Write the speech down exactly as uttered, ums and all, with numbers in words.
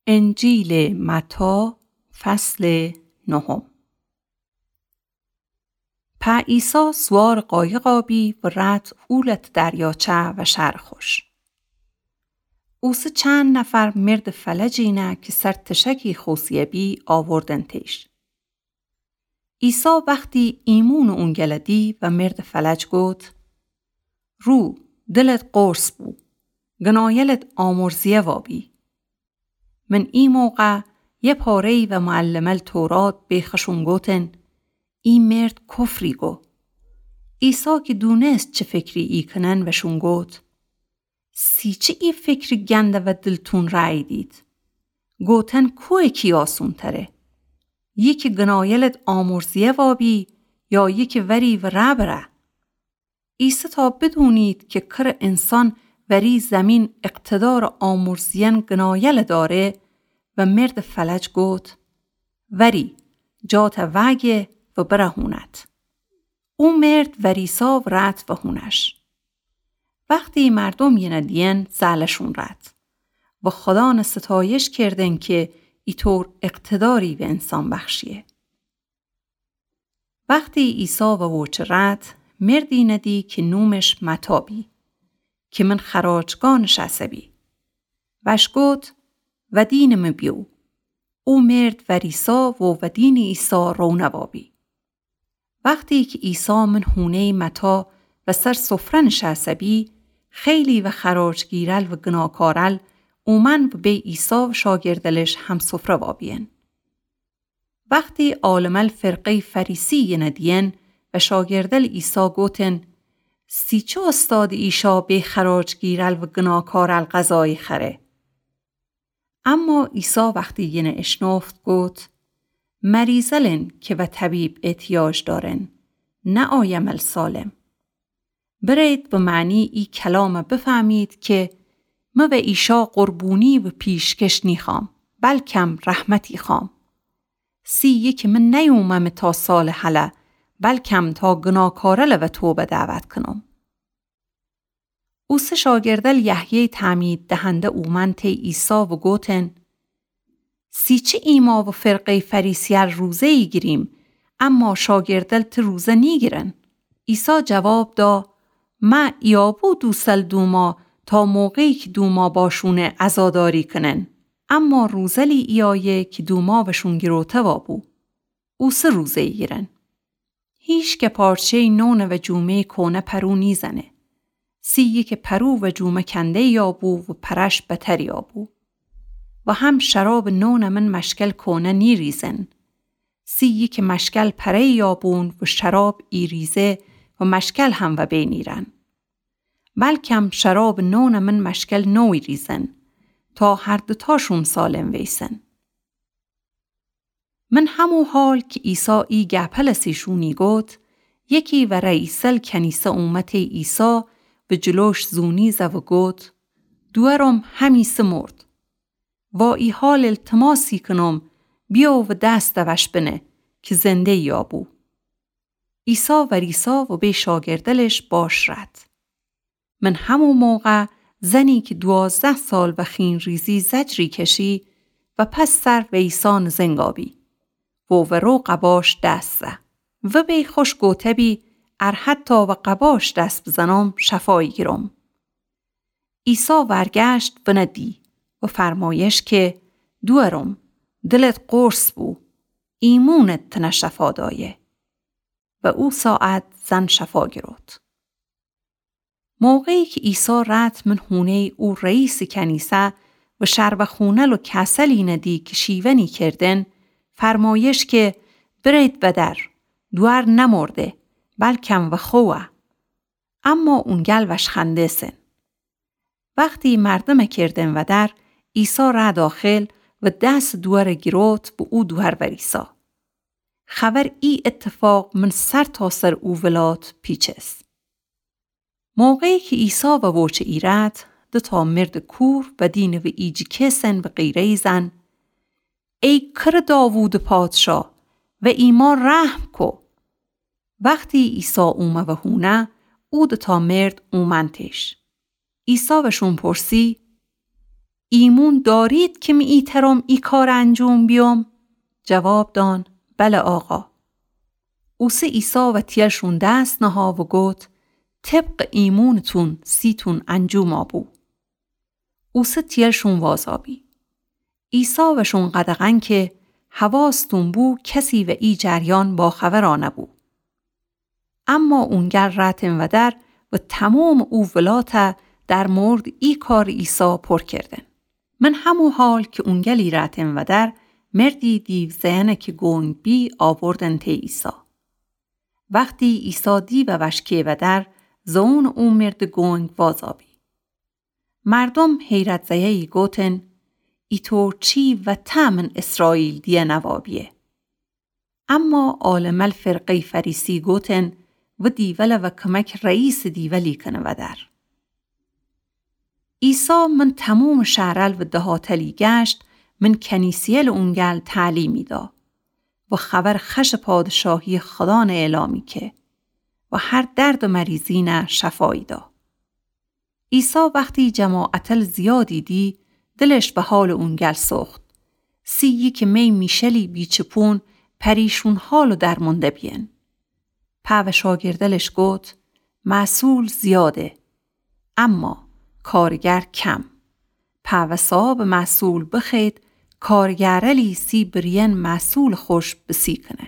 انجیلٚ متی، فصلٚ نهم. په عیسی سوارٚ قایقا بی و رأت اولتٚ دریاچه و شأرٚ خوش. اوسه چند نفر مردٚ فلج اینه کی سر تشکی خوسه‌یه بی آوردن تیش. عیسی وختی ایمونٚ اونگله دی و مردٚ فلج گفت: رو، دلت قرص بو، گنایلت آمرزیه وابی. من ای موقع یه پاره‌یی و معلمل تورات به خشون گوتن: ای مرد کفری گو. عیسی کی دونست چه فکری ای کنن وشون گوت: سی چه ای فکری گنده و دلتون رأییدید؟ گوتن کویه کی آسون‌تره؟ یکی گنایلت آمرزیه وابی یا یکی وری و رأ بره؟ عیسی تا بدونید کی کره انسان وری زمین اقتدارٚ آمرزیئن گنایل داره و مردٚ فلج گوت: وری، جات وأگه و بره هونت. او مرد وریسا و رأت و هونش. وختی مردوم یینه دیئن زألشون رأت و خودانه ستایش کردن کی ایطور اقتداری به انسان بخشیه. وختی عیسی و ووچه رأت، مردی یینه دی کی نومش متی بی، کی من خراجگاه نشأسه بی. وأش گوت: ودینٚ مه بیو. او مرد وریسا و ودینٚ عیسی رونه وابی. وختی کی عیسی من هونه‌یٚ متی و سر سفره نشأسه بی، خیلی و خراجگیرل و گناکارل اومن و بی عیسی و شاگردلش همسفره وابیئن. وختی عالمل فرقه‌یٚ فریسی یینه دیئن و شاگردل عیسی گوتن: سی چه استادٚ ایشا بی خراجگیرل و گناکارل غذایی خأره؟ اما عیسی وختی یینه اشنفت گوت: مریضلن کی و طبیب احتیاج دأرن، نه آیمل سالم. برید و معنی ای کلامه بفهمید کی مه و ایشا قربونی و پیشکش نیخوأم، بلکم رحمتی خوأم. سی یکی من نیوممه تا سالٚ هله، بلکم تا گناکارله و توبه دعوت کنم. اوسه شاگردل یحیی تعمید دهنده اومن تی عیسی و گوتن: سی چه ایمأ و فرقه‌یٚ فریسیأن روزه ایگیریم، اما شاگردل ته روزه نیگیرن؟ عیسی جواب دا: مه ایابو دوسل دومأ تا موقعی کی دومأ باشونه عزاداری کنن، اما روزلی ایأیه کی دومأ وشون گیروته وابو. اوسه روزه ایگیرن. هیچ که پارچه‌یٚ نون و جومه‌یٚ کونه پرو نیزنه. سی یکه پرو و جومه کنده یابو و پرش بتر یابو. و هم شرابٚ نونٚ من مشکل کونه نیریزن. سی یکه مشکل پره یابون و شراب ایریزه و مشکل هم وبین ایرن. بلکم شرابٚ نونٚ من مشکل نو ایریزن، تا هر دوتاشون سالم ویسن. من همو حال کی عیسی ای گپل سیشونی گوت، یکی و رئیسل کنیسه اومه تی عیسی و جلوش زونی زه و گوت، دوأرم همیسه مرد. وا ای حال التماسی کنم، بیو و دس دوش بنه کی زنده یابو. عیسی وریسا و بی شاگردلش باش رد. من همو موقع زنی کی دوازده سال و خین‌ریزی زجری کشی و پس سر ویسانٚ زنگا بی و ورو قباش دس زه و بی خوش گوته بی، ار حتی و قباش دس بزنم، شفا ایگیرم. عیسی ورگشت ونه دی و فرمایش که، دوأرم، دلت قرص بو، ایمونت تنه شفا دایه. و او ساعت زن شفا گیروت. موقعی کی عیسی رد من هونه‌یٚ او رئیسٚ کنیسه و شربخونل و کسلی ندی کی شیونی کردن، فرمایش که، برید ودر، دوأر نمرده، بلکم وخوه. اما اونگل وشخنده‌سن. وختی مردم کردن ودر، عیسی ره داخل و دس دوأر گیروت و او دوأر وریسا. خبر ای اتفاق من سرتاسر او ولات پیچس. موقعی کی عیسی ووچه ایرد، دوتا مردٚ کور و دینٚ و ایجی کسن و غیره‌یی زن، ای کر داوودٚ پادشا، و ایما رحم کو. وختی عیسی اومه وهونه، او دوتا مرد اومنتش. عیسی وشون پرسی، ایمون دارید کی می ایترم ای کارَ انجوم بیوم؟ جواب دان: بله آقا. اوسه عیسی وتیلشون دس نها و گوت: طبقٚ ایمونتون سیتون انجوما بو. اوسه تیلشون وازابی. عیسی وشون قدغن کی حواستون بو کسی و ای جریان باخبرا نبو. اما اونگل رأتن ودر و تومامٚ او ولاتَ در موردٚ ای کارٚ عیسی پر کردن. من همو حال کی اونگلی رأتن ودر، مردی دیو زئنه کی گونگ بی آوردن تی عیسی. وختی عیسی دیوَ وشکی ودر، زئونٚ او مردٚ گونگ وازابی. مردوم حیرت زه‌یی گوتن: ایطور چی وطأ من اسرائیل دیه نوابیه؟ اما عالمٚ فرقه‌یٚ فریسی گوتن: و دیولَ وکمک رئیسٚ دیولی کنه ودر. عیسی من تومامٚ شهرل و دهاتلی گشت، من کنیسه‌یل اونگل تعلیمی دا و خبرٚ خوشٚ پادشاهیٚ خدانَ اعلامی که و هر درد و مریضینَ شفایی دا. عیسی وختی جماعتل زیادی دی، دلش به حالٚ اونگل سوخت. سی یکی می میشلی بیچپون پریشون حال و درمونده بیین. پا و شاگردلش گوت: محصول زیاده، اما کارگر کم. پا و صاحبٚ محصول بخوأید کارگرلی سی بریین محصولٚ خوش بسی کنه.